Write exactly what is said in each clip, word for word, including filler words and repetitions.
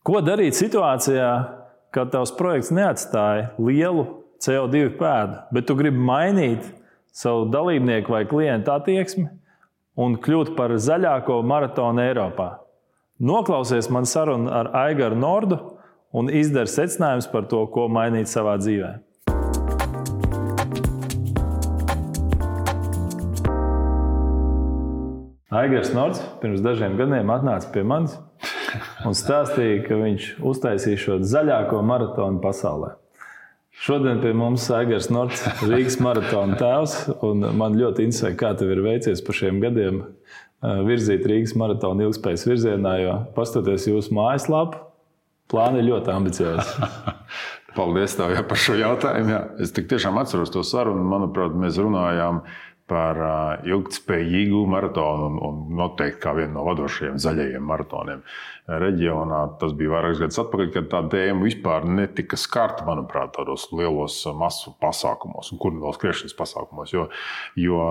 Ko darīt situācijā, kad tavs projekts neatstāja lielu C O divi pēdu, bet tu gribi mainīt savu dalībnieku vai klientu attieksmi un kļūt par zaļāko maratonu Eiropā? Noklausies man sarunu ar Aigaru Nordu un izdari secinājumus par to, ko mainīt savā dzīvē. Aigars Nords pirms dažiem gadiem atnāca pie manis un stāstīja, ka viņš uztaisīja šo zaļāko maratonu pasaulē. Šodien pie mums Aigars Nords, Rīgas maratona tēvs, un man ļoti interesē, kā tev ir veicies par šiem gadiem virzīt Rīgas maratonu ilgspējas virzienā, jo pastoties jūsu mājaslapu, plāni ir ļoti ambiciozi. Paldies tev par šo jautājumu. Jā. Es tik tiešām atceros to sarunu. Manuprāt, mēs runājām par ilgtspējīgu maratonu un, un noteikti kā vienu no vadošajiem zaļajiem maratoniem reģionā. Tas bija vairākas gadus atpakaļ, kad tā tēma vispār netika skarta, manuprāt, tādos lielos masu pasākumos un kurnu vēl skriešanas pasākumos. Jo, jo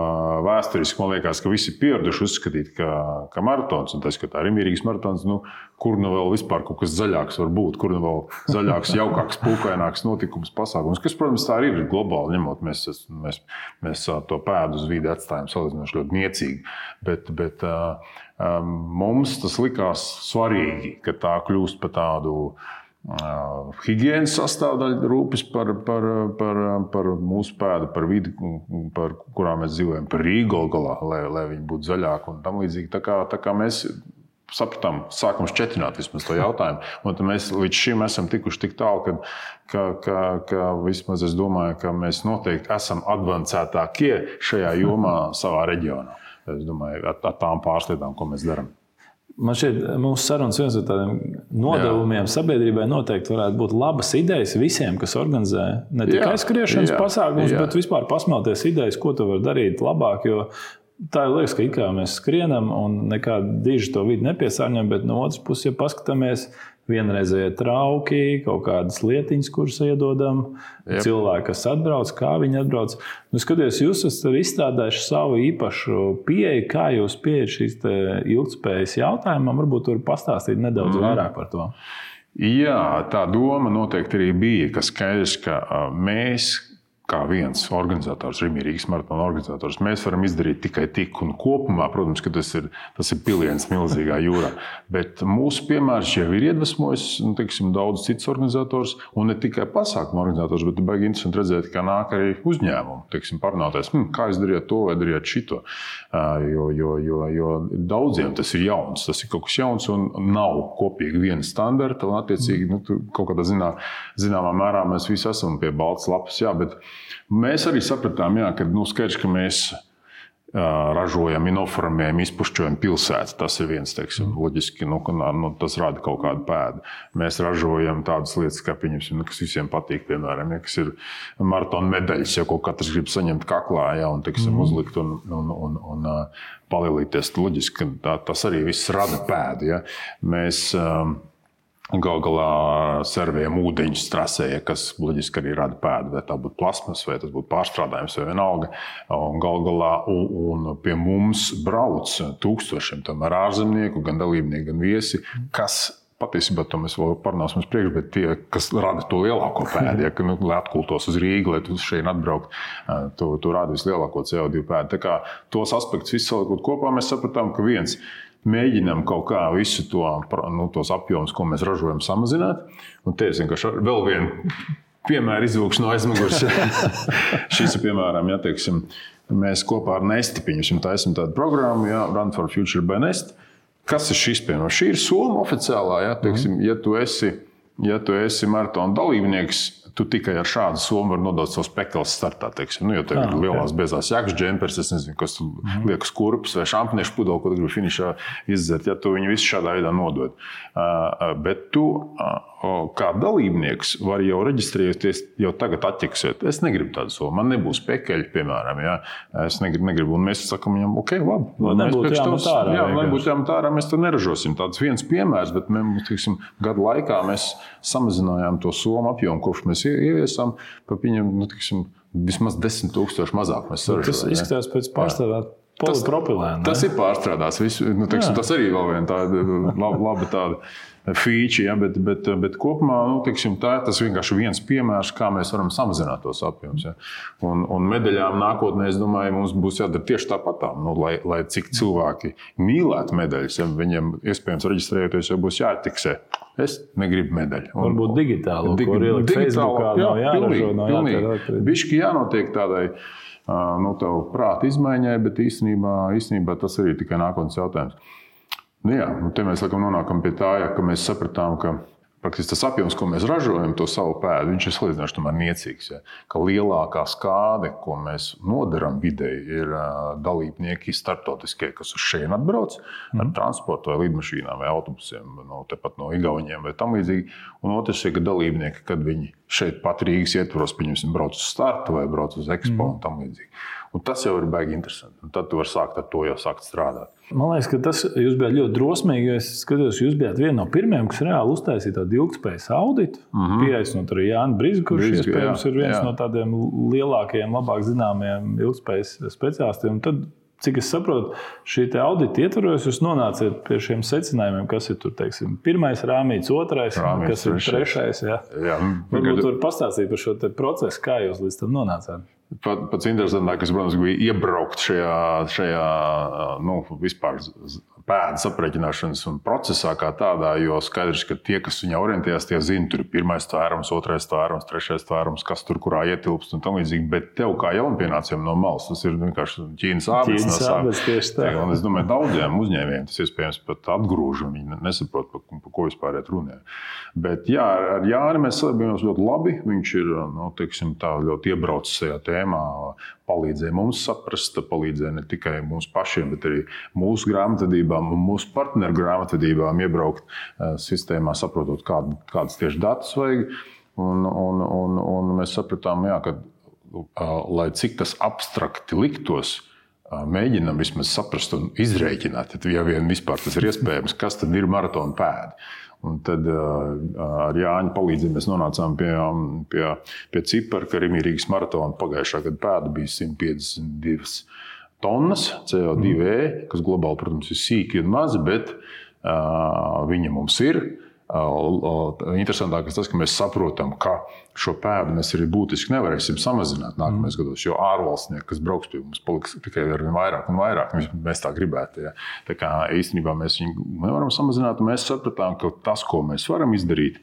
vēsturiski man liekas, ka visi pieraduši uzskatīt, ka, ka maratons, un tas, ka tā ir Rīgas maratons, nu, kur nu vēl vispār kaut kas zaļāks var būt, kur nu vēl zaļāks, jaukāks, pūkaināks notikums pasākums, kas, protams, tā arī ir globāli ņemot. Mēs, mēs, mēs to pēdu uz vidi atstājam salīdzinoši ļoti niecīgi, bet, bet uh, um, mums tas likās svarīgi, ka tā kļūst par tādu uh, higienas sastāvdaļu rūpes par, par, par, par mūsu pēdu, par vidi, par kurā mēs dzīvojam, par Rīgu galā, lai, lai viņi būtu zaļāki un tam līdzīgi. Tā kā, tā kā mēs sapratām, sākam šķetināt vismaz to jautājumu. Un mēs līdz šim esam tikuši tik tālu, ka, ka, ka, ka vismaz es domāju, ka mēs noteikti esam advancētākie šajā jomā savā reģionā. Es domāju, ar, ar tām pārslietām, ko mēs darām. Man šķiet, mūsu sarunas viens no tādiem nodevumiem jā. Sabiedrībai noteikti varētu būt labas idejas visiem, kas organizē ne tikai skriešanas pasākumus, bet vispār pasmelties idejas, ko tu vari darīt labāk, jo tā liekas, ka it kā mēs skrienam un nekādu diži to vidi nepiesārņojam, bet no otras puses, ja paskatāmies, vienreizēji trauki, kaut kādas lietiņas, kuras iedodam, Jep. cilvēki, kas atbrauc, kā viņi atbrauc. Nu, skaties, jūs esat izstrādājuši savu īpašu pieeju, kā jūs pieejat šīs ilgtspējas jautājumam, varbūt tur pastāstīt nedaudz mm. vairāk par to. Jā, tā doma noteikti arī bija, ka skaidrs, ka mēs, kā viens organizators, Rīgas maratona organizators, mēs varam izdarīt tikai tik un kopumā, protams, ka tas ir, tas ir piliens milzīgā jūrā. Bet mūsu piemērs jau ir iedvesmojis, nu, teiksim, daudz cits organizators, un ne tikai pasākumu organizators, bet baigi interesanti redzēt, ka nāk arī uzņēmumu, teiksim, parunāties, hm, kā es darīju to vai darīju šito. Jo, jo, jo, jo daudziem tas ir jauns, tas ir kaut kas jauns un nav kopīgi viena standarta, un attiecīgi, nu, kaut kādā zinā, zināmā mērā mēs visi esam pie baltas lapas, jā, bet mēs arī sapratām, jā, ka nu, skaidrs, ka mēs uh, ražojam, inoformējam, izpušķojam pilsētu. Tas ir viens, teiksim, loģiski, nu, nu, tas rada kaut kādu pēdu. Mēs ražojam tādas lietas, kā pieņemsim, nu, kas visiem patīk, piemēram, ja, kas ir maratona medaļas, ja ko katrs grib saņemt kaklā, ja, un, teiksim, mm. uzlikt un, un, un, un uh, palielīties. Loģiski, ka tā, tas arī viss rada pēdu. Ja. Mēs um, Gal galā servējam ūdeņus trasē, kas loģiski arī rada pēdu, vai tā būtu plasmas, vai tas būtu pārstrādājums, vai vienalga. Un gal galā un, un pie mums brauc tūkstošiem tomēr ārzemnieku, gan dalībnieki, gan viesi, kas patiesībā to mēs vēl parunāsim uz priekšu, bet tie, kas rada to lielāko pēdu, ja, ka, nu, lai atkultos uz Rīgu, lai tu šeit atbraukt, tu, tu rada vislielāko C O divi pēdu. Tā kā tos aspektus visu salikot kopā, mēs sapratām, ka viens, mēģinām kaut kā visu to, nu, tos apjomus, ko mēs ražojam, samazināt. Un te es vienkārši vēl vienu piemēru izvilkšu no aizmugures. Šis ir piemēram, ja, teiksim, mēs kopā ar Nesti, pieņemsim, taisam tādu programmu, ja, Run for Future by Nest. Kas ir šis piemēram? Šī ir Soma oficiālā, ja, teiksim, ja tu esi, ja tu esi maratona dalībnieks, tu tikai ar šādu somu var nodot savus pekals startā, teiksim. Nu, jo tev ir ah, okay. lielās bezās jakas džempers, es nezinu, kas tu mm. liekas kurpes vai šampiniešu pudeli, ko tu gribi finišā izdzert, ja tu viņu visu šādā veidā nodod. Uh, bet tu, uh, kā dalībnieks, vari jau reģistrēties, jau tagad atķeksēt. Es negribu tādu somu, man nebūs pekeļi, piemēram, ja. Es negribu, negribu, un mēs sakam viņam, ok, labi. Lai nebūtu jāmat ārā. Jā, lai nebūtu jāmat ārā, mēs to neražosim. Tāds viens piemērs, bet mēs, teiksim, gadu laikā mēs samazinājām to somu apjomu, kopš mēs ieviesām, pa viņam, nu, tiksim, vismaz desmit tūkstoši mazāk mēs saražojam. Tas izskatās pēc pārstrādāt polipropilēnu. Tas, tas ir pārstrādāts. Visu, nu, tiksim, tas arī vēl viena tāda laba, laba tāda feature, ja, bet, bet, bet kopumā nu, teiksim, tā, tas vienkārši viens piemērs, kā mēs varam samazināt tos apjomus. Ja. Un, un medaļām nākotnē, es domāju, mums būs jādara tieši tāpatām. Nu, lai, lai cik cilvēki mīlētu medaļas, ja, viņiem iespējams reģistrējoties, jau būs jātiksē. Es negribu medaļu. Un, varbūt digitālo, dig, ko ielikt Facebookā, jā, nav jāražo, nav jātērēt. Bišķi jānotiek tādai nu, tavu prātu izmaiņai, bet īstenībā, īstenībā tas arī tikai nākotnes jautājums. Nu, jā, un te mēs laikam nonākam pie tā, ja, ka mēs sapratām, ka praktiski tas apjoms, ko mēs ražojam, to savu pēdu, viņš ir salīdzinoši tomēr niecīgs. Ja? Ka lielākā skāde, ko mēs nodaram videi, ir uh, dalībnieki starptautiskie, kas uz šeit atbrauc mm. ar transportu vai lidmašīnām vai autobusiem, no, tepat no Igauniem vai tam līdzīgi. Un otrs ir, ka dalībnieki, kad viņi šeit pat Rīgas ietvaros, pieņemsim, brauc uz startu vai brauc uz Expo mm. un tam līdzīgi. Un tas jau ir baigi interesanti. Un tad tu vari sākt ar to jau sākt strādāt. Man liekas, ka tas jūs bijāt ļoti drosmīgi. Es skatos, jūs bijāt viena no pirmajiem, kas reāli uztaisīja tādu ilgspējas auditu. Mm-hmm. Pieaicinot arī Jāni Brizgu, kurš Brizgu, iespējams jā, ir viens jā. no tādiem lielākajiem, labāk zināmiem ilgspējas speciālistiem. Un tad, cik es saprotu, šī audita ietvaros jūs nonāciet pie šiem secinājumiem, kas ir tur, teiksim, pirmais rāmīts, otrais, rāmīts, kas ir trešais. Jā. Jā, varbūt var pastāstīt par šo procesu, kā jūs līdz tam nonācāt. Pat, pats interesantākais, protams, bija iebraukt šajā, šajā nu, vispār pēdas aprēķināšanas procesā kā tādā, jo skaidrs, ka tie, kas viņā orientējās, tie zina, tur ir pirmais tvērums, otrais tvērums, trešais tvērums, kas tur kurā ietilpst un tam līdzīgi, bet tev kā jaunpienācējiem no malas, tas ir vienkārši Ķīnas ābets. Ķīnas ābets tieši tā. Un es domāju, daudziem uzņēmējiem tas iespējams pat atgrūž, un viņi nesaprot, par, par ko vispār iet runē. Bet jā, ar Jāni mēs sadarbījāmies ļoti labi, viņš ir, nu, teiksim, tā ļoti iebraucis šajā tēmā, palīdzēja mums saprast, palīdzēja ne tikai mums pašiem, bet arī mūsu grāmatvedībām un mūsu partneru grāmatvedībām iebraukt uh, sistēmā, saprotot, kād, kādas tieši datus vajag. Un, un, un, un mēs sapratām, jā, ka, uh, lai cik tas abstrakti liktos, uh, mēģinam vismaz saprast un izrēķināt, ja vien vispār tas ir iespējams, kas tad ir maratona pēdi. Un tad uh, ar Jāņa palīdzību mēs nonācām pie, pie, pie cipara, ka Rimi Rīgas maratona pagājušā gada pēda bija simt piecdesmit divas tonnas C O divi E, kas globāli, protams, ir sīki un mazi, bet uh, viņa mums ir. Uh, interesantākais tas, ka mēs saprotam, ka šo pēdu mēs arī būtiski nevarēsim samazināt nākamais mm. gados, jo ārvalstnieki, kas brauks pie mums, paliks tikai ar vairāk un vairāk. Mēs tā gribētu. Ja. Tā kā īstenībā mēs viņu nevaram samazināt, un mēs sapratām, ka tas, ko mēs varam izdarīt,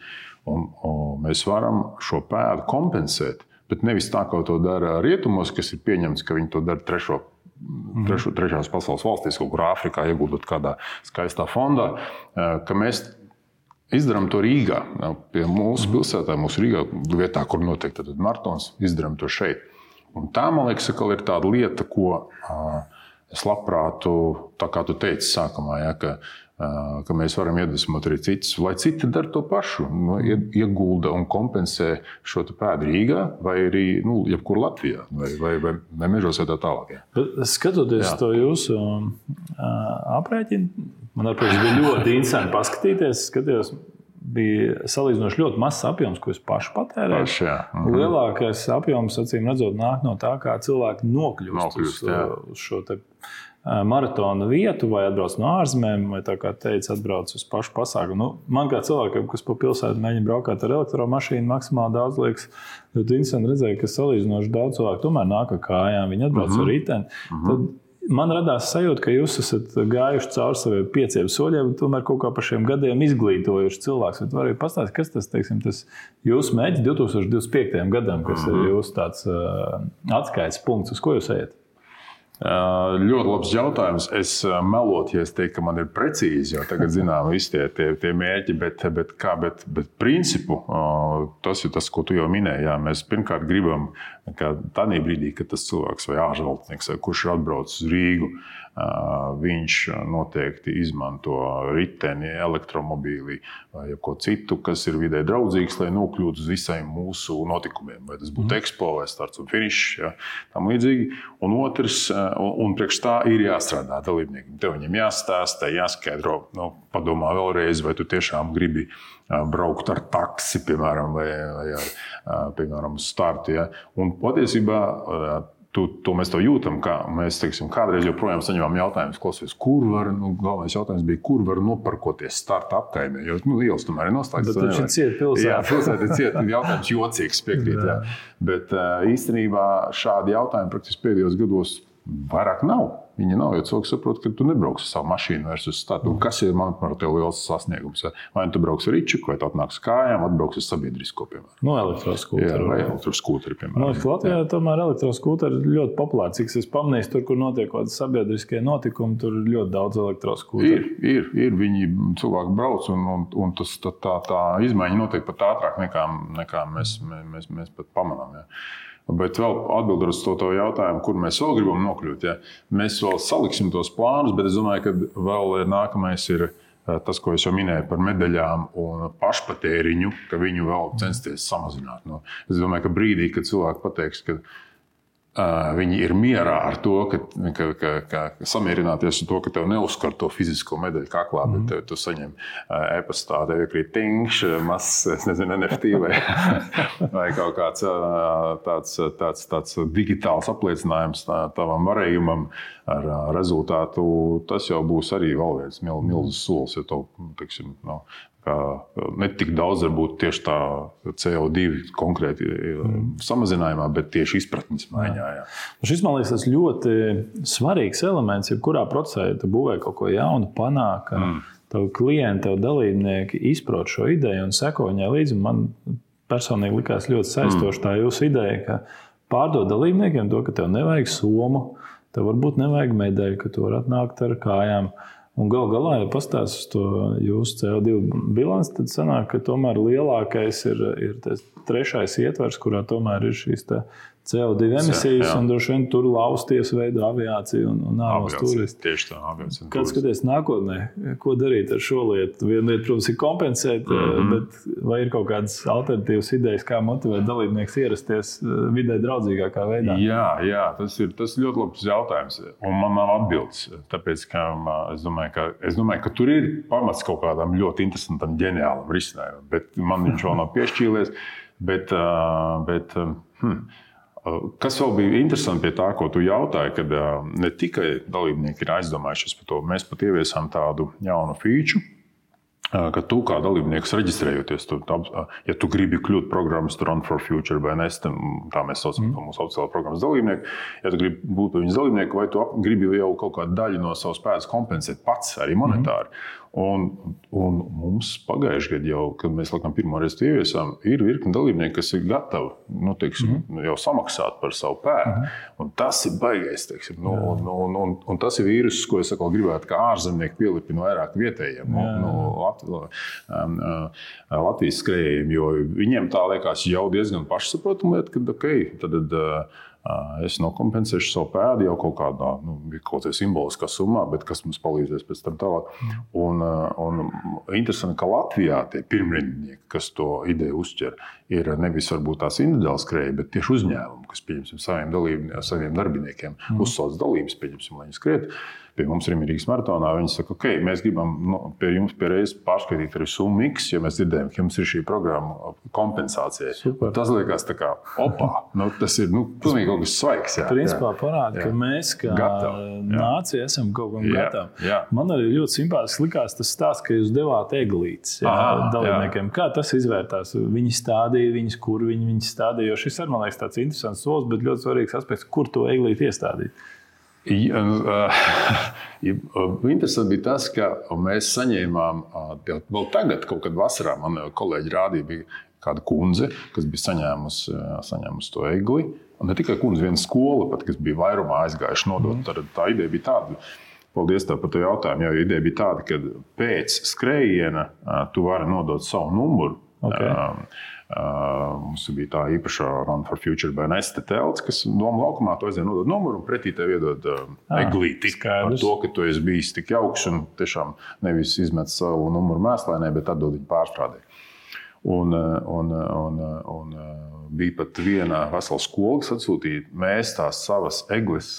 un, un mēs varam šo pēdu kompensēt, bet nevis tā, kā to dara rietumos, kas ir pieņemts, ka viņi to dara trešo mm. trešo, trešās pasaules valstīs, kaut kur Āfrikā, ieguldot kādā skaistā fondā, ka mēs izdarām to Rīgā, pie mūsu pilsētā, mūsu Rīgā, vietā, kur notiek tad maratons, izdarām to šeit. Un tā, man liekas, ir tāda lieta, ko es labprāt, tā kā tu teici sākumā, ja, ka, ka mēs varam iedvesmot arī citus, lai citi dara to pašu, nu, iegulda un kompensē šo pēdu Rīgā vai arī, nu, jebkur Latvijā vai, vai, vai, vai mežos vai tā tālāk. Ja. Skatoties jā. To jūsu aprēķinu, man ar protams bija ļoti interesanti paskatīties. Skatījos, bija salīdzinoši ļoti mazs apjoms, ko es pašu patērēju. Paši, mhm. Lielākais apjoms, acīm redzot, nāk no tā, kā cilvēki nokļūst, nokļūst uz, uz šo te maratona vietu, vai atbrauc no ārzemēm, vai tā kā teica, atbrauc uz pašu pasākumu. Nu, man kā cilvēkam, kas pa pilsētu mēģina braukāt ar elektromašīnu, maksimāli daudz liekas, ļoti interesanti redzēja, ka salīdzinoši daudz cilvēku tomēr nāk ar kājām, viņi atbrauc mhm. ar riteni. Mhm. Tad man radās sajūta, ka jūs esat gājuši cauri saviem pieciem soļiem, un tomēr kaut kā par šiem gadiem izglītojuši cilvēks. Vai varētu pastāstīt, kas tas, teiksim, tas jūsu mērķis divi tūkstoši divdesmit piektajam gadam, kas mm-hmm. ir jūsu tāds uh, atskaites punkts, uz ko jūs ejat? Uh, ļoti labs jautājums. Es uh, melotu, ja es teiktu, ka man ir precīzi, jo tagad zinām visi tie, tie, tie mērķi, bet, bet, kā, bet, bet principu uh, tas ir tas, ko tu jau minēji. Jā. Mēs pirmkārt gribam, ka tādā brīdī, kad tas cilvēks vai ārvalstnieks, kurš ir atbraucis uz Rīgu, uh, viņš noteikti izmanto riteni, elektromobīli vai ko citu, kas ir vidē draudzīgs, lai nokļūtu uz visiem mūsu notikumiem. Vai tas būtu mm. Expo vai starts un finišs, ja, tam līdzīgi. Un otrs, un, un priekš tā ir jāstrādā dalībniekiem. Tev viņam jāstāsta, jāskaidro, nu, padomā vēlreiz, vai tu tiešām gribi braukt ar taksi, piemēram, vai, vai ar, piemēram, startu. Ja. Un patiesībā Tu, to mēs to jūtam, kā mēs, teiksim, kādreiz joprojām saņemam jautājumus, klausies, kur var, nu, galvenais jautājums bija, kur var noparkoties starta apkaimē, jo, nu, ielas tomēr ir noslēgts. Bet viņš ir ciet pilsētā. Jā, pilsētā ir ciet, jautājums jocīgs, piekrīt, jā. Bet īstenībā šādi jautājumi praktiski pēdējos gados vairāk nav. Viņi nav, jo cilvēks saprot, ka tu nebrauks ar savu mašīnu vairs uz statu. Kas ir, manuprāt, tev liels sasniegums? Vai tu brauks ar ričuku, vai tu atnāks kājām, atbrauks ar sabiedrisko, piemēram. No elektroskūteri. Jā, vai elektroskūteri, piemēram. No, Latvijā jā. Tomēr elektroskūteri ir ļoti populāri. Cik es pamanīju, tur, kur notiek kaut kādi sabiedriskie notikumi, tur ir ļoti daudz elektroskūteri. Ir, ir, ir. Viņi cilvēki brauc, un, un, un tas, tā, tā, tā izmaiņa notiek pat ātrāk, nekā, nekā mēs, mēs, mēs pat pamanām. Jā. Bet vēl atbildot uz to, to jautājumu, kur mēs vēl gribam nokļūt. Ja? Mēs vēl saliksim tos plānus, bet es domāju, ka vēl nākamais ir tas, ko es jau minēju par medaļām un pašpatēriņu, ka viņu vēl censties samazināt. Nu, es domāju, ka brīdī, kad cilvēki pateiks, ka uh, viņi ir mierā ar to, ka, ka, ka, ka samierināties ar to, ka tev neuzskar to fizisko medaļu kaklā, mm. bet tev, tu saņem uh, e-pastā, tev iekrīt tingš, mazs, es nezinu, N F T vai, vai kaut kāds uh, tāds, tāds, tāds digitāls apliecinājums tā, tavam varējumam ar uh, rezultātu. Tas jau būs arī vēl viens mil, milzis solis, ja to, teiksim, no, ne tik daudz varbūt tieši tā C O divi konkrēti mm. samazinājumā, bet tieši izpratnes maiņā. Jā. Šis, man liekas, tas ļoti svarīgs elements, jebkurā procesā, ja tu būvē kaut ko jaunu, panāk, mm. tavu klienti, tavu dalībnieki izprot šo ideju un seko viņai līdzi. Man personīgi likās ļoti saistoši mm. tā jūsu ideja, ka pārdod dalībniekiem to, ka tev nevajag somu, tev varbūt nevajag medaļu, ka tu vari atnākt ar kājām. Un gal galā, ja pastāst uz to jūsu C O divi bilanci, tad sanāk, ka tomēr lielākais ir, ir tas trešais ietvers, kurā tomēr ir šīs C O divi emisijas, jā, jā. Un droši vien tur lausties veido aviāciju un, un ārvalstu turisti. Tieši tā, aviācija. Kad skaties nākotnē, ko darīt ar šo lietu? Viena lieta, protams, ir kompensēt, mm-hmm. bet vai ir kaut kādas alternatīvas idejas, kā motivēt dalībnieks ierasties vidē draudzīgākā veidā? Jā, jā, tas ir tas ļoti labs jautājums, un man nav atbildes, tāpēc, ka es domāju, ka, es domāju, ka tur ir pamats kaut kādam ļoti interesantam, ģeniālam risinājumam, bet man viņš vēl nav piešķīlies, bet, bet hmm, kas vēl bija interesanti pie tā, ko tu jautāji, kad ne tikai dalībnieki ir aizdomājušies par to, mēs pat ieviesām tādu jaunu feature, ka tu kā dalībnieks reģistrējoties, tu, ja tu gribi kļūt programmas Run for Future vai N S, tā mēs saucam mm. mūsu oficiālā programmas dalībnieku, ja tu gribi būt viņas dalībnieku, vai tu gribi jau kaut kādu daļu no savas spējas kompensēt pats, arī monetāri. Mm. Un, un mums pagājuši gadu jau, kad mēs laikam pirmo reizi ieviesām, ir virkni dalībnieki, kas ir gatavi, nu, teiksim, mm-hmm. jau samaksāt par savu pēdu. Mm-hmm. Un tas ir baigais, teiksim. Nu, un, un, un, un tas ir vīrus, ko es atkal gribētu, kā ārzemnieki pielipina vairāk vietējiem, no, no Latvijas, Latvijas skrējējiem, jo viņiem tā liekas jau diezgan pašsaprotama lieta, ka, ok, tad es nokompensēšu savu pēdu jau kaut kādā, nu, kaut kādā simboliskā summā, bet kas mums palīdzēs pēc tam tālāk. Un, un interesanti, ka Latvijā tie pirmrindnieki, kas to ideju uzķer, ir nevis varbūt tās individuāli skrēji, bet tieši uzņēmumi, kas, pieņemsim, saviem, dalību, saviem darbiniekiem mm. uzsauc dalības, pieņemsim, lai viņi skriet. Pie mums Rīgas Rīgas maratonā viņi saka, ok, mēs gribam nu, pie jums pie reizes pārskaitīt arī summu X, jo mēs dzirdējam, ka jums ir šī programma kompensācija. Tas liekas tā kā, opā, nu, tas ir nu, pilnīgi kaut kas svaigs. Jā, principā parāda, ka mēs kā gatavi, nācija esam kaut kam gatavi. Jā. Man arī ļoti simpātiski likās tas stāsts, ka jūs devāt eglītes dalībniekiem. Kā tas izvērtās? Viņi stādīja viņas, kur viņi viņas stādīja, jo šis ir, man liekas, tāds interesants solis, bet ļoti svarīgs aspekts, kur to eglīti iestādīt. Ja, interesanti bija tas, ka mēs saņēmām, vēl tagad, kaut kad vasarā, man kolēģi rādīja, bija kāda kundze, kas bija saņēmusi, saņēmusi to egli. Un ne tikai kundze, viena skola, pat, kas bija vairumā aizgājuši nodot. Mm. Tā, tā ideja bija tāda, paldies tev par to jautājumu, jo ideja bija tāda, ka pēc skrējiena tu vari nodot savu numuru. Okay. Uh, mums bija tā īpašā Run for Future B N S telts, kas doma laukumā to aizvien nodod numuru un pretī tev iedod uh, ah, eglīti par to, ka tu esi bijis tik jauks un tiešām nevis izmet savu numuru mēslainē, bet atdod viņu pārstrādē. Un, un, un, un bija pat viena vesela skola, kas atsūtīja, mēs tās savas eglis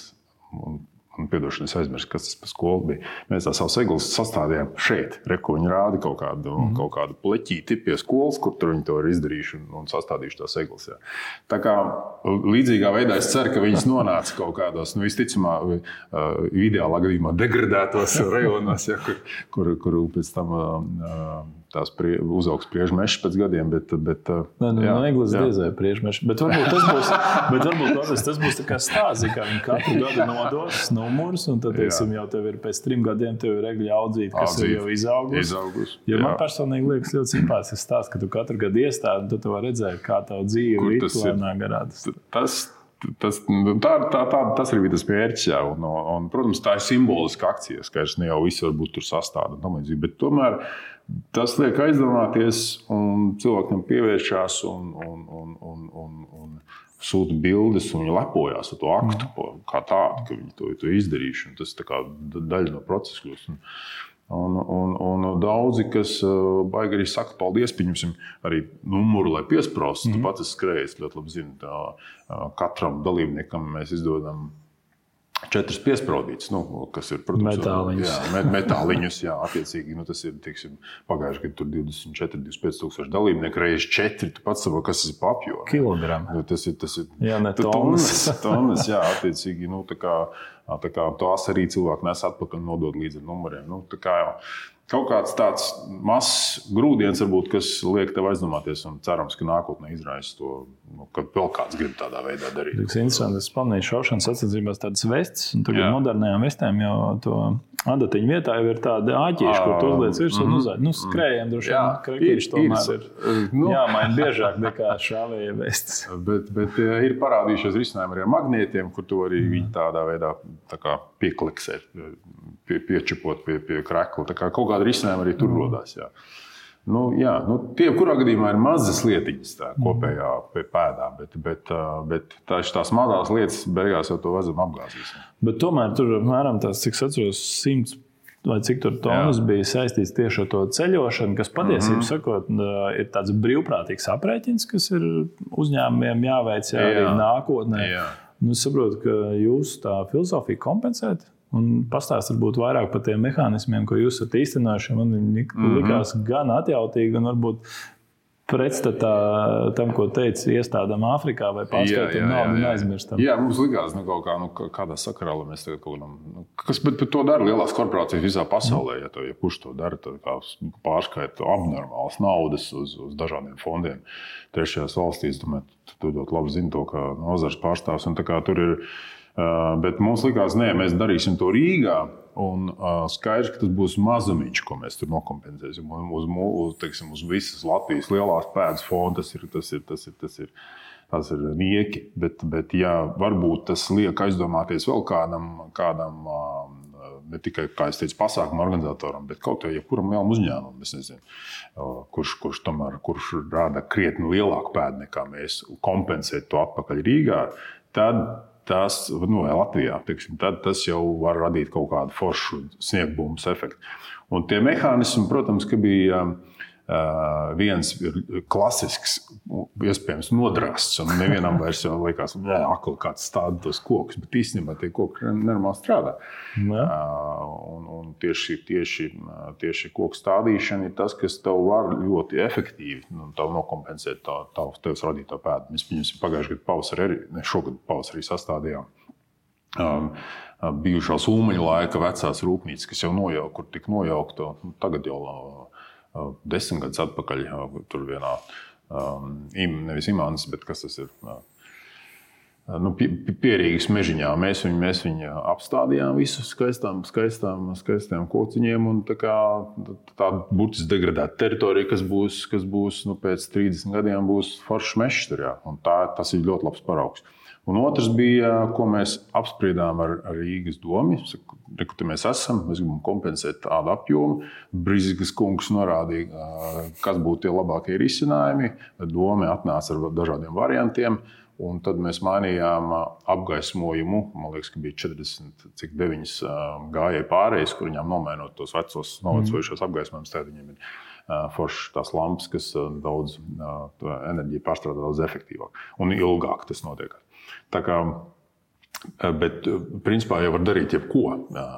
un Un, piedošana, es aizmirsu, kas tas par skolu bija. Mēs tā savus eglis sastādījām šeit. Reku viņi rāda kaut kādu, mm. kaut kādu pleķīti pie skolas, kur tur viņi to ir izdarījuši un, un sastādījuši tās eglis. Jā. Tā kā līdzīgā veidā es ceru, ka viņas nonāca kaut kādos, nu, visticamā, ideālā gadījumā degradētos rajonos, ja, kur, kur, kur pēc tam tās prie, uzaugs priežmešs pēc gadiem, bet... bet Nē, nu, jā, no eglis diezē priežmešs. Bet varbūt tas būs, bet varbūt tas, tas būs tā kā stāzi, kā viņi katru gadu nodos numurus, un tad, teiksim, jau tev ir pēc trim gadiem tev ir egļa audzīt, kas Audzīt. ir jau izaugus. Izaugus. Jo man personīgi liekas ļoti simpātisks stāsts, ka tu katru gadu iestādi, un tu var redzēt, kā tavu dzīvi vitlēnā garādas. Tas, tas, tā, tā, tā, tas ir tas mērķis, jā, un, un, protams, tā ir simboliska akcija, skaidrs, ne jau visi varbūt tur sastāda, bet tomēr tas liek aizdomāties, un cilvēkam pievēršās un, un, un, un, un, un sūta bildes, un viņi lepojās ar to aktu mm. kā tādu, ka viņi to, to izdarījuši. Tas tā kā daļa no procesa kļūst. Un, un, un daudzi, kas baigi arī saka, paldies, pieņemsim arī numuru, lai piespraustu. Mm. Tu pats esi skrējis, ļoti labi zini, tā, katram dalībniekam mēs izdodam četras piespraudītas, nu, kas ir, protams, metāliņus. Jā, metāliņus, jā, attiecīgi, nu, tas ir, teiksim, pagājuši, kad tur divdesmit četri, divdesmit pieci tūkstoši dalībnieki, reiz četri, tu pats saproti, kas tas ir pa apjomu. Kilogrami. Nu, tas ir, tas ir, jā, ne tonnas. Tonnas, jā, attiecīgi, nu, tā kā, tā kā tās arī cilvēki nes atpakaļ nodod līdz ar numuriem. Nu, tā kā jau kaut kāds tāds mazs grūdiens, varbūt, kas liek tev aizdomāties, un cerams, ka nākotnē izraisa to, nu, kad vēl kāds grib tādā veidā darīt. Tas ir interesanti, es pamanīju šaušanas sacensībās tādas vestes, un tagad modernajām vestēm jau to adatiņu vietā jau ir tāda āķīša, kur tu uzliec virsū un uzliec. Nu, skrējiem droši vien, krekīši tomēr ir, nu, jāmaina biežāk nekā šāvēja vestes. Bet, bet ir parādījušies risinājumi arī ar magnētiem, kur tu arī viņi tādā veidā tā kā piekliksēt, pie, piečipot pie, pie krekla. Tā kā kaut kāda risinājuma arī tur rodās. Jā. Nu, jā, nu, tie, kurā gadījumā ir mazas lietiņas tā, kopējā pēdā, bet, bet, bet tā, tās mazās lietas beigās jau to vazam apgāzīs. Bet tomēr tur apmēram tās, cik atceros, simts vai cik tur tonnas jā. bija saistīts tieši ar to ceļošanu, kas patiesībā mm-hmm. sakot, ir tāds brīvprātīgs aprēķins, kas ir uzņēmumiem jāveic jā, arī jā. nākotnē. Jā. Nu, es saprotu, ka jūs tā filozofija kompensēt. Un pastāst varbūt vairāk par tiem mehānismiem, ko jūs esat īstenojuši. Man viņi mm-hmm. likās gan atjautīgi, gan varbūt pretstatā tam, ko teica iestādām Āfrikā vai pārskaitam naudu un aizmirstam. Jā, mums likās nu, kaut kā, nu, kādā sakarā, lai mēs tagad kaut kādam, nu, kas, bet, bet to dara lielās korporācijas visā pasaulē, ja, to, ja kurš to dara, tad kā pārskaita abnormālas naudas uz, uz dažādiem fondiem. Trešajās valstīs, domāju, tu ļoti labi zini to, kā nozars pārstāvs, un tā kā tur ir. Bet mums likās, nē, mēs darīsim to Rīgā, un skaidrs, ka tas būs mazumiņš, ko mēs tur nokompensēsim. Uz, uz, teiksim, uz visas Latvijas lielās pēdas fonda tas ir, tas ir, tas ir, tas ir, tas ir nieki. Bet, bet jā, varbūt tas liek aizdomāties vēl kādam, kādam ne tikai, kā es teicu, pasākumu organizatoram, bet kaut kā jebkuram lielam uzņēmumam, es nezinu, kurš, kurš tomēr, kurš rāda krietni lielāku pēdu nekā mēs kompensēt to atpakaļ Rīgā, tad tas, nu, vai Latvijā, teiksim, tad tas jau var radīt kaut kādu foršu sniegbumbas efektu. Un tie mehānismi, protams, ka bija uh, viens klasisks, iespējams, nodrāsts, un nevienam vairs jau liekas, jā, akli kāds stāda tos kokus, bet īstenībā tie koki nenormāli strādā. Uh, un, un tieši, tieši, tieši koku stādīšana ir tas, kas tev var ļoti efektīvi nu, nokompensēt tā, tā, tevs radīto pēdu. Mēs pieņemsim pagājušajā gadā pavasarī, arī, ne šogad pavasarī sastādījām um, bijušās Ulmaņa laika vecās rūpnīcas, kas jau nojauk, kur tika nojaukta, nu, tagad jau uh, desmit gadus atpakaļ, uh, tur vienā, um, im, nevis Imants, bet kas tas ir? Uh, Nu, pierīgas mežiņā. Mēs viņu, mēs viņu apstādījām visus skaistām, skaistām, skaistām kociņiem un tā kā tāda burtiski degradēta teritorija, kas būs, kas būs nu, pēc trīsdesmit gadiem būs foršs mežs tur, jā. Un tā, tas ir ļoti labs paraugs. Un otrs bija, ko mēs apspriedām ar, ar Rīgas domi. Kur mēs esam, mēs gribam kompensēt tādu apjomu. Brīzikas kungs norādīja, kas būtu tie labākie risinājumi. Doma atnāca ar dažādiem variantiem. Un tad mēs mainījām apgaismojumu. Man liekas, ka bija četrdesmit, cik deviņas gājēji pārējais, kur viņām nomainot tos vecos, novecojušos apgaismojumus. Tad viņiem ir foršas tās lampas, kas daudz enerģiju pārstrādā daudz efektīvāk. Un ilgāk tas notiek. Tā kā Bet, principā, jau var darīt jebko,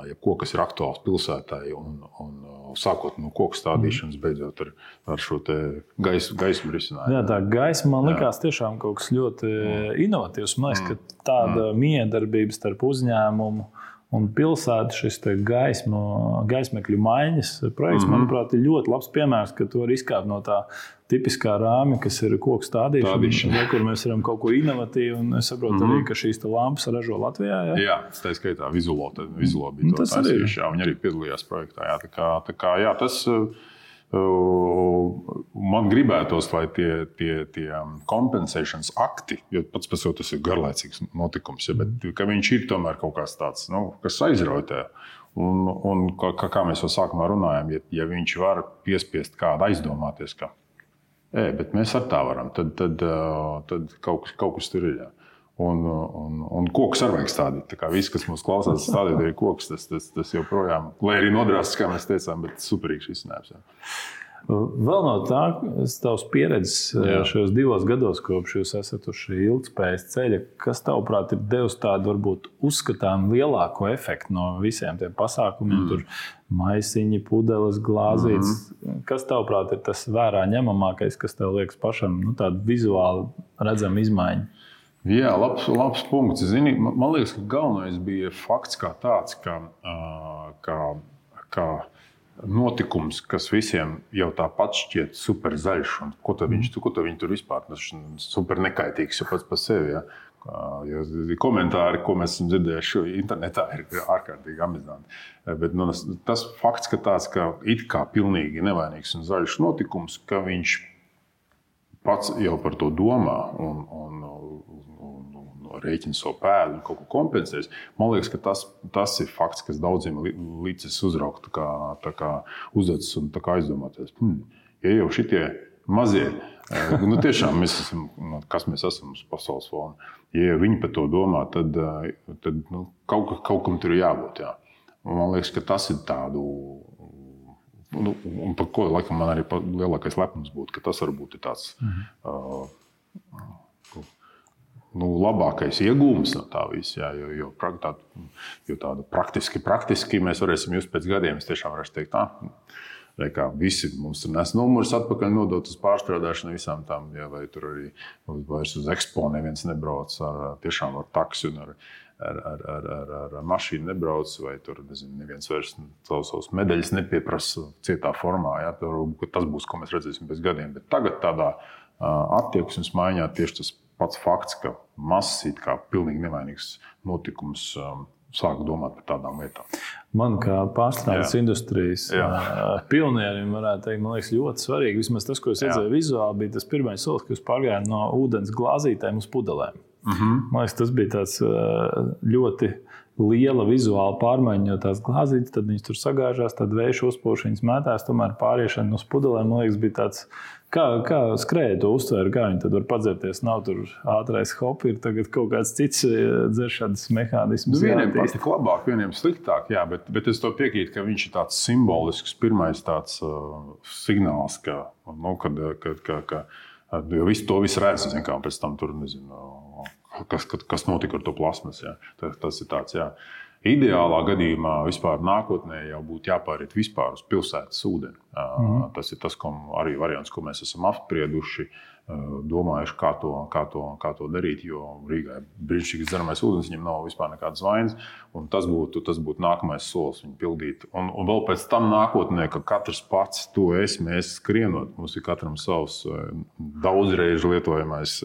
jebko kas ir aktuāls pilsētai, un, un sākot no koku stādīšanas, beidzot ar, ar šo te gaisu, gaismu risinājumu. Jā, tā gaisma man likās tiešām kaut kas ļoti mm. inovatīvs. Man liekas, ka tāda mm. miedarbība starp uzņēmumu un pilsētu, šis gaismu, gaismekļu maiņas projekts, mm-hmm. manuprāt, ir ļoti labs piemērs, ka to var izkāpt no tā tipiskā rāmja, kas ir koku stādīšana, kur mēs varam kaut ko inovatīvu, un es saprotu mm-hmm. arī, ka šīs lampas ražo Latvijā. Jā, jā tā skaitā Vizulo, Vizulo bija nu, to taisījuši, jā, viņi arī piedalījās projektā. Jā, tā kā, tā kā, jā, tas... Man gribētos, lai tie, tie, tie kompensēšanas akti, jo pats par sevi tas ir garlaicīgs notikums, ja, bet ka viņš ir tomēr kaut kāds tāds, nu, kas aizrautē. Un, un kā, kā mēs jau sākumā runājām, ja, ja viņš var piespiest kādu aizdomāties, ka e, bet mēs ar tā varam, tad, tad, tad kaut, kas, kaut kas tur ir. Jā. Un, un, un kokus arī vajag stādīt. Tā kā viss, kas mums klausās, stādīt arī kokus, tas, tas, tas joprojām, lai arī nodrāstas, kā mēs teicām, bet superīgs izcinājums. Vēl no tā, tavs pieredzes jā. Šajos divos gados, kopš jūs esat uz šī ilgtspējas ceļa, kas tavuprāt ir devis tādu varbūt uzskatām lielāko efektu no visiem tiem pasākumiem, mm. tur maisiņi, pudeles, glāzītes. Mm-hmm. Kas tavuprāt ir tas vērā ņemamākais, kas tev liekas pašam, nu, tādu vizuāli redzama izmaiņa? Jā, labs, labs punkts. Zini, man liekas, ka galvenais bija fakts kā tāds, ka, ka, ka notikums, kas visiem jau tāpat šķiet super zaļš, un ko tad viņš, ko tad viņi tur vispār, tas super nekaitīgs jau pats par sevi. Ja? Jo komentāri, ko mēs esam dzirdējuši internetā, ir ārkārtīgi amizanti. Bet nu, tas fakts, ka tāds ka it kā pilnīgi nevainīgs un zaļš notikums, ka viņš pats jau par to domā un, un rēķina savu pēdu un kaut ko kompensēs. Man liekas, ka tas, tas ir fakts, kas daudziem līdzes uzraukt tā kā, tā kā uzdodas un tā kā aizdomāties. Hmm, ja jau šitie mazie, nu tiešām mēs esam, kas mēs esam uz pasaules fona, ja viņi par to domā, tad, tad nu, kaut, kaut kam tur ir jābūt. Jā. Man liekas, ka tas ir tādu, nu, un par ko laikam man arī lielākais lepnums būtu, ka tas varbūt ir tāds... Mm-hmm. uh, Nu, labākais iegūms no tā visa, jā, jo, jo, tā, jo tāda praktiski, praktiski mēs varēsim just pēc gadiem, es tiešām varēšu teikt, tā, kā visi mums tur nes numurus atpakaļ nodot uz pārstrādāšanu visām tām, jā, vai tur arī vairs uz ekspo neviens nebrauc ar, tiešām ar taksi un ar, ar, ar, ar, ar, ar mašīnu nebrauc, vai tur, nezinu, neviens vairs savus, savus medaļas nepieprasa cietā formā, jā, tur, tas būs, ko mēs redzēsim pēc gadiem, bet tagad tādā attieksmes maiņā tieši tas pats fakts, ka mazs it kā pilnīgi nevainīgs notikums um, sāk domāt par tādām lietām. Man kā pārstrādes industrijas uh, pionierim varētu teikt, man liekas, ļoti svarīgi. Vismaz tas, ko es redzēju vizuāli, bija tas pirmais solis, ka jūs pārgājāt no ūdens glāzītēm uz pudelēm. Mm-hmm. Man liekas, tas bija tāds uh, ļoti liela vizuāla pārmaiņa, jo tās glāzītes, tad viņas tur sagāžās, tad vējš uzpūš, viņas mētās, tomēr pāriešana uz pudelēm, man liekas, bija tāds... Kā, kā skrēja to uztvēra, kā viņi tad var padzerties? Nav tur ātrais hopi, ir tagad kaut kāds cits dzeršanas mehānisms. Nu, vieniem patīk labāk, vieniem sliktāk, jā, bet, bet es to piekrītu, ka viņš ir tāds simbolisks, pirmais tāds uh, signāls, ka, nu, kad, kad, ka, ka, jo visu to visu redz, zin, kā pēc tam tur, nezinu, kas, kas notika ar to plasmas, jā. Tas, tas ir tāds, jā. Ideālā gadījumā vispār nākotnē jau būtu jāpāriet vispār uz pilsētas ūdeni. Mm-hmm. Tas ir tas, ko arī variants, ko mēs esam apsprieduši, domājuši, kā to, kā to, kā to darīt, jo Rīgā ir brīnišķīgs dzeramais ūdens, viņam nav vispār nekādas vainas, un tas būtu, tas būtu nākamais solis viņu pildīt. Un, un vēl pēc tam nākotnē, ka katrs pats to es, mēs skrienot, mums ir katram savs daudzreiz lietojamais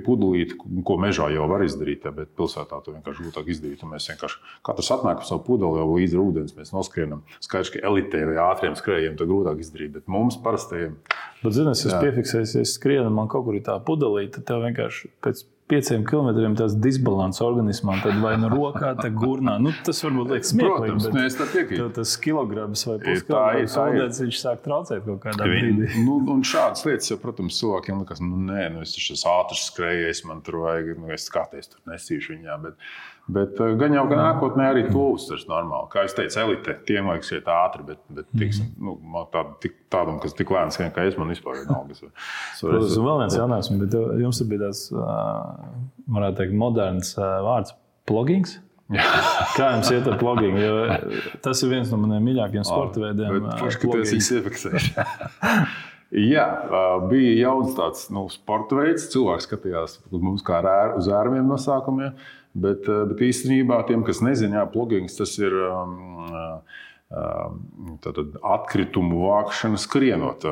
pudelīt, ko mežā jau var izdarīt, bet pilsētā to vienkārši grūtāk izdarīt. Un mēs vienkārši katrs atnāk par savu pudeli, jau līdz ūdens mēs noskrienam. Skaidrs, ka elitē vai ātriem skrējiem to grūtāk izdarīt, bet mums parastajiem... Bet, zini, es esmu piefiksējis, ja es skrienu, man kaut kur ir tā pudelīte, tad tev vienkārši pēc pieciem kilometriem tās disbalans organismā, tad vai nu rokā, tad gurnā. Nu, tas varbūt liekas smieklīgi, bet mēs tā piekrītam. Tas kilograms vai puskilograms ūdens, viņš sāk traucēt kaut kādā brīdī. Nu, un šādas lietas, jau, protams, cilvēkiem liekas, nu nē, nu es tas ātrs skrējējis, man tur vajag, nu es skaties, tur nesīšu viņā, bet, bet gan jau gan nākotnē arī to uztvers normāli. Kā es teicu, elite, tiem vajag iet ātri, bet, bet tiksim, nu, tād, tik, tādam, kas tik lēns, kā es, man vispār vienalga. Protams, un vēl viens jautājums, bet jums bija tāds, varētu teikt, moderns vārds Plogings? Kā jums iet ar plogingu? Jo tas ir viens no maniem mīļākajiem sporta veidiem. Forši, ka tu esi iefiksējuši. Jā, bija jauns tāds nu, sporta veids. Cilvēks skatījās uz mums kā uz ērmiem nosākumiem. Bet, bet īstenībā tiem, kas nezina, jā, plogings tas ir um, um, tātad atkritumu vākšana skrienot.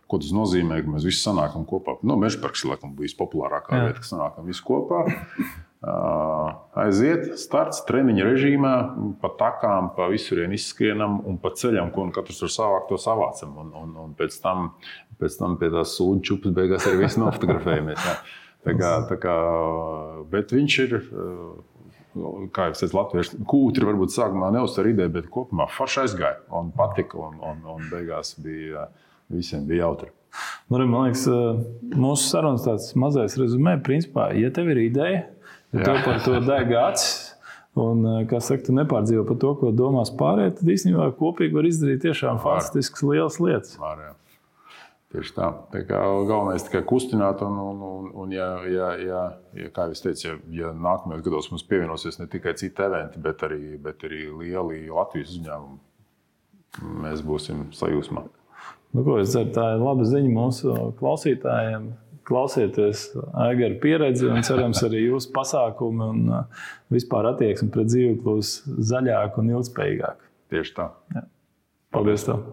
Ko tas nozīmē, ka mēs visi sanākam kopā. Nu, Mežaparks ir laikam bijis populārākā jā. Vieta, ka sanākam visi kopā. Uh, aiziet, starts treniņa režīmā, pa takām, pa visurien izskrienam un pa ceļam, ko katrs var savākt, to savācam. Un, un, un pēc, tam, pēc tam pie tās sūdu čupas beigās arī visi nofotografējamies. Jā. Tā kā, tā kā, bet viņš ir, kā jau teicu, latvieši kūtri varbūt sākumā neuztver ideju, bet kopumā forši aizgāja un patika un, un, un beigās bija, visiem bija jautri. Man liekas, mūsu sarunas tāds mazais rezumē, principā, ja tev ir ideja, ja tev par to deg acis, un, kā saka, tu nepārdzīvo par to, ko domās pārējie, tad īstenībā kopīgi var izdarīt tiešām fantastiskas lielas lietas. Var, jā. Tieši tā. Tā kā galvenais tikai kustināt, un, un, un, un ja, ja, ja, ja, kā es teicu, ja, ja nākamajos gados mums pievienosies ne tikai citi eventi, bet arī, bet arī lieli Latvijas uzņēmumi, mēs būsim sajūsmā. Nu, ko es ceru, tā ir laba ziņa mūsu klausītājiem. Klausieties Aigara pieredzi un cerams arī jūsu pasākumi un vispār attieksmi pret dzīvi kļūs zaļāk un ilgspējīgāk. Tieši tā. Jā. Paldies tev.